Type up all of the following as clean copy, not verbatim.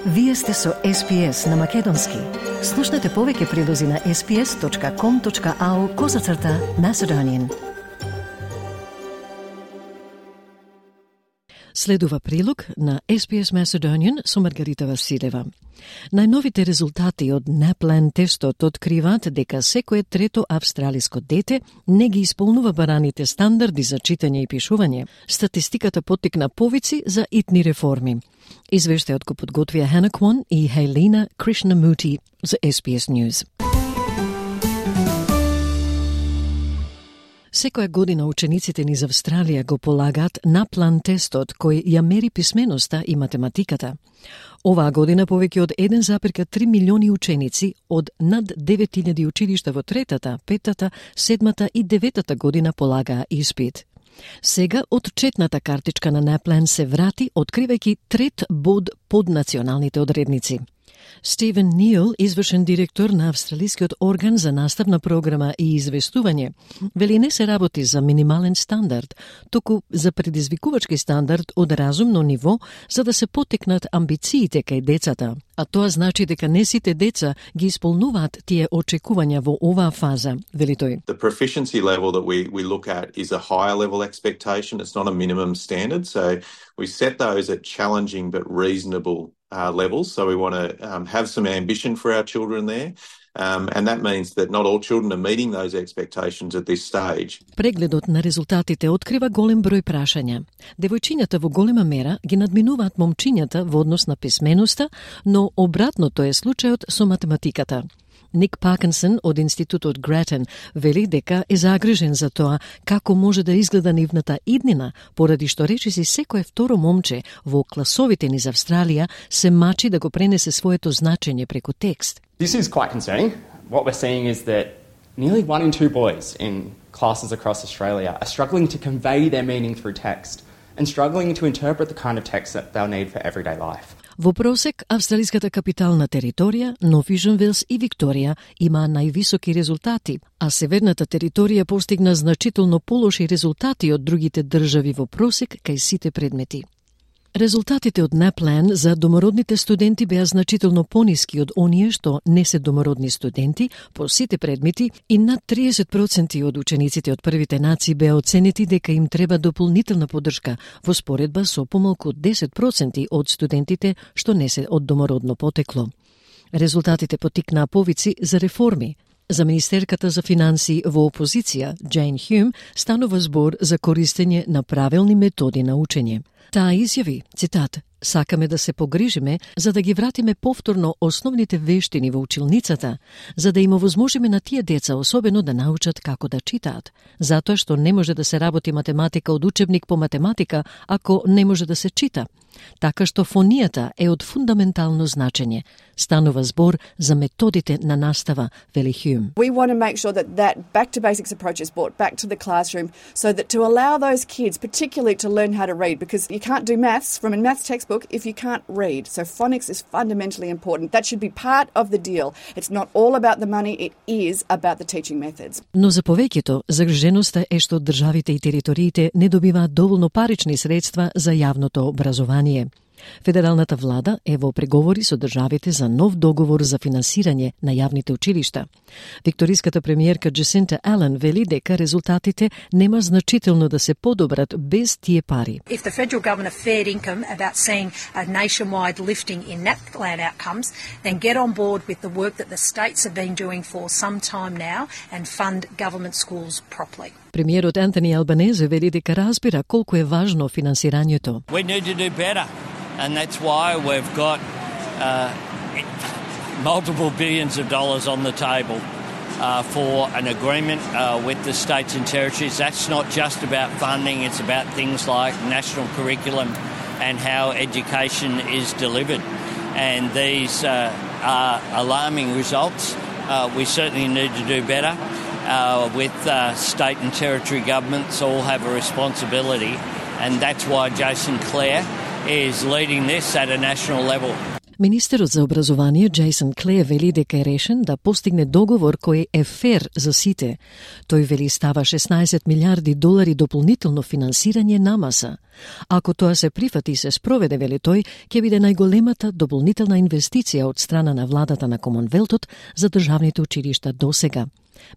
Вие сте со SPS на Македонски. Слушнете повеќе прилози на sps.com.au/Macedonian. Следува прилог на SPS Macedonian со Маргарита Василева. Најновите резултати од NAPLAN тестот откриваат дека секое трето австралиско дете не ги исполнува бараните стандарди за читање и пишување. Статистиката поттикна повици за итни реформи. Извештајот го подготвија Hannah Kwan и Helena Krishnamurti за SPS News. Секоја година учениците низ Австралија го полагаат NAPLAN тестот кој ја мери писменоста и математиката. Оваа година повеќе од 1,3 милиони ученици од над 9000 училишта во третата, петата, седмата и деветата година полагаа испит. Сега отчетната картичка на NAPLAN се врати, откривајќи трет бод под националните одредници. Стивен Нил, извршен директор на Австралискиот орган за наставна програма и известување, вели не се работи за минимален стандард, туку за предизвикувачки стандард од разумно ниво за да се поттикнат амбициите кај децата. А тоа значи дека не сите деца ги исполнуваат тие очекувања во оваа фаза, вели тој. The proficiency level that we look at is a higher level expectation. It's not a minimum standard. So we set those at challenging but reasonable levels. So we want to have some ambition for our children there. And that means that not all children are meeting those expectations at this stage. Прегледот на резултатите открива голем број прашања. Девојчињата во голема мера ги надминуваат момчињата во однос на писменоста, но обратното е случајот со математиката. Ник Паркинсон од Институтот Гратен вели дека е загрижен за тоа како може да изгледа нивната иднина, поради што речиси секое второ момче во класовите низ Австралија се мачи да го пренесе своето значење преку текст. This is quite concerning. What we're seeing is that nearly 1 in 2 boys in classes across Australia are struggling to convey their meaning through text and struggling to interpret the kind of text that they'll need for everyday life. Во просек, австралиската капитална територија, Нов Јужен Велс и Викторија имаа највисоки резултати, а северната територија постигна значително полоши резултати од другите држави во просек кај сите предмети. Резултатите од NAPLAN за домородните студенти беа значително пониски од оние што не се домородни студенти по сите предмети и над 30% од учениците од првите нации беа оценети дека им треба дополнителна поддршка во споредба со помалку од 10% од студентите што не се од домородно потекло. Резултатите поттикнаа повици за реформи. За министерката за финансии во опозиција, Джейн Хюм, станува збор за користење на правилни методи на учење. Таа изјави, цитат, "Сакаме да се погрижиме за да ги вратиме повторно основните вештини во училницата, за да им овозможиме на тие деца особено да научат како да читаат, затоа што не може да се работи математика од учебник по математика ако не може да се чита. Така што фонијата е од фундаментално значење. Станува збор за методите на настава, вели Хюм. We want to make sure that back to basics approach is brought back to the classroom so that to allow those kids particularly to learn how to read, because you can't do maths from a maths textbook if you can't read. So phonics is fundamentally important. That should be part of the deal. It's not all about the money, it is about the teaching methods. Но за повеќето, загриженоста е што државите и териториите не добиваат доволно парични средства за јавното образование. Федералната влада е во преговори со државите за нов договор за финансирање на јавните училишта. Викториската премиерка Джесинта Ален вели дека резултатите нема значително да се подобрат без тие пари. If the federal government are fair income about seeing a nationwide lifting in NAPLAN outcomes, then get on board with the work that the states have been doing for some time now and fund government schools properly. Премиерот Антони Албанезе вели дека разбира колку е важно финансирањето. We need to do better. And that's why we've got multiple billions of dollars on the table for an agreement with the states and territories. That's not just about funding, it's about things like national curriculum and how education is delivered. And these are alarming results. We certainly need to do better. With state and territory governments all have a responsibility, and that's why Jason Clare is leading this at a national level. Министерот за образование Джейсон Клеј вели дека е решен да постигне договор кој е фер за сите. Тој вели става 16 милиарди долари дополнително финансирање на МАСА. Ако тоа се прифати и се спроведе, вели тој, ќе биде најголемата дополнителна инвестиција од страна на владата на Комонвелтот за државните училишта досега.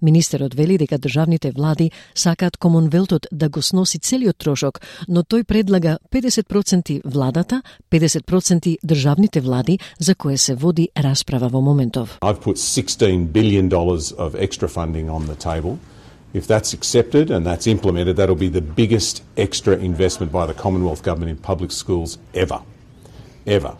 Министерот вели дека државните влади сакаат Комонвелтот да го сноси целиот трошок, но тој предлага 50% владата, 50% државните влади, за кое се води расправа во моментов. I've put $16 billion of extra funding on the table. If that's accepted and that's implemented, that'll be the biggest extra investment by the Commonwealth Government in public schools ever. Ever.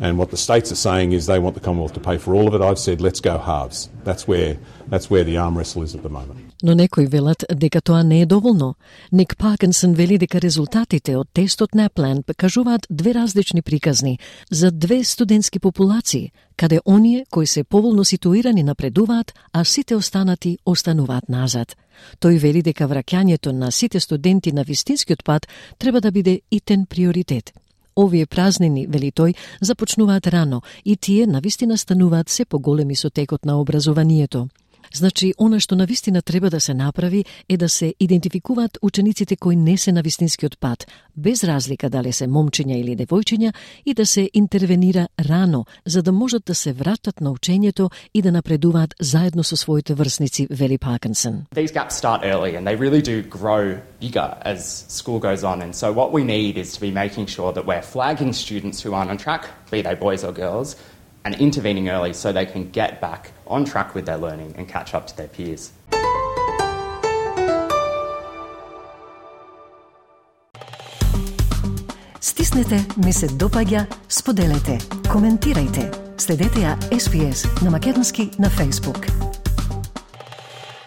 And what the states are saying is they want the Commonwealth to pay for all of it. I've said, let's go halves. That's where the arm wrestle is at the moment. Но некои велат дека тоа не е доволно. Ник Паркинсон вели дека резултатите од тестот NAPLAN покажуваат две различни приказни за две студентски популации, каде оние кои се поволно ситуирани напредуваат, а сите останати остануваат назад. Тој вели дека враќањето на сите студенти на вистинскиот пат треба да биде итен приоритет. Овие празнини, вели тој, започнуваат рано и тие навистина стануваат се поголеми со текот на образованието. Значи, она што навистина треба да се направи е да се идентификуваат учениците кои не се на вистинскиот пат, без разлика дали се момчиња или девојчиња, и да се интервенира рано, за да можат да се вратат на учењето и да напредуваат заедно со своите врсници, вели Паркинсон. These gaps start early and they really do grow bigger as school goes on, and so what we need is to be making sure that we're flagging students who aren't on track, be they boys or girls, and intervening early so they can get back on track with their learning and catch up to their peers. Стиснете, ми се допаѓа, споделете, коментирајте. Следете ја SPS на македонски на Facebook.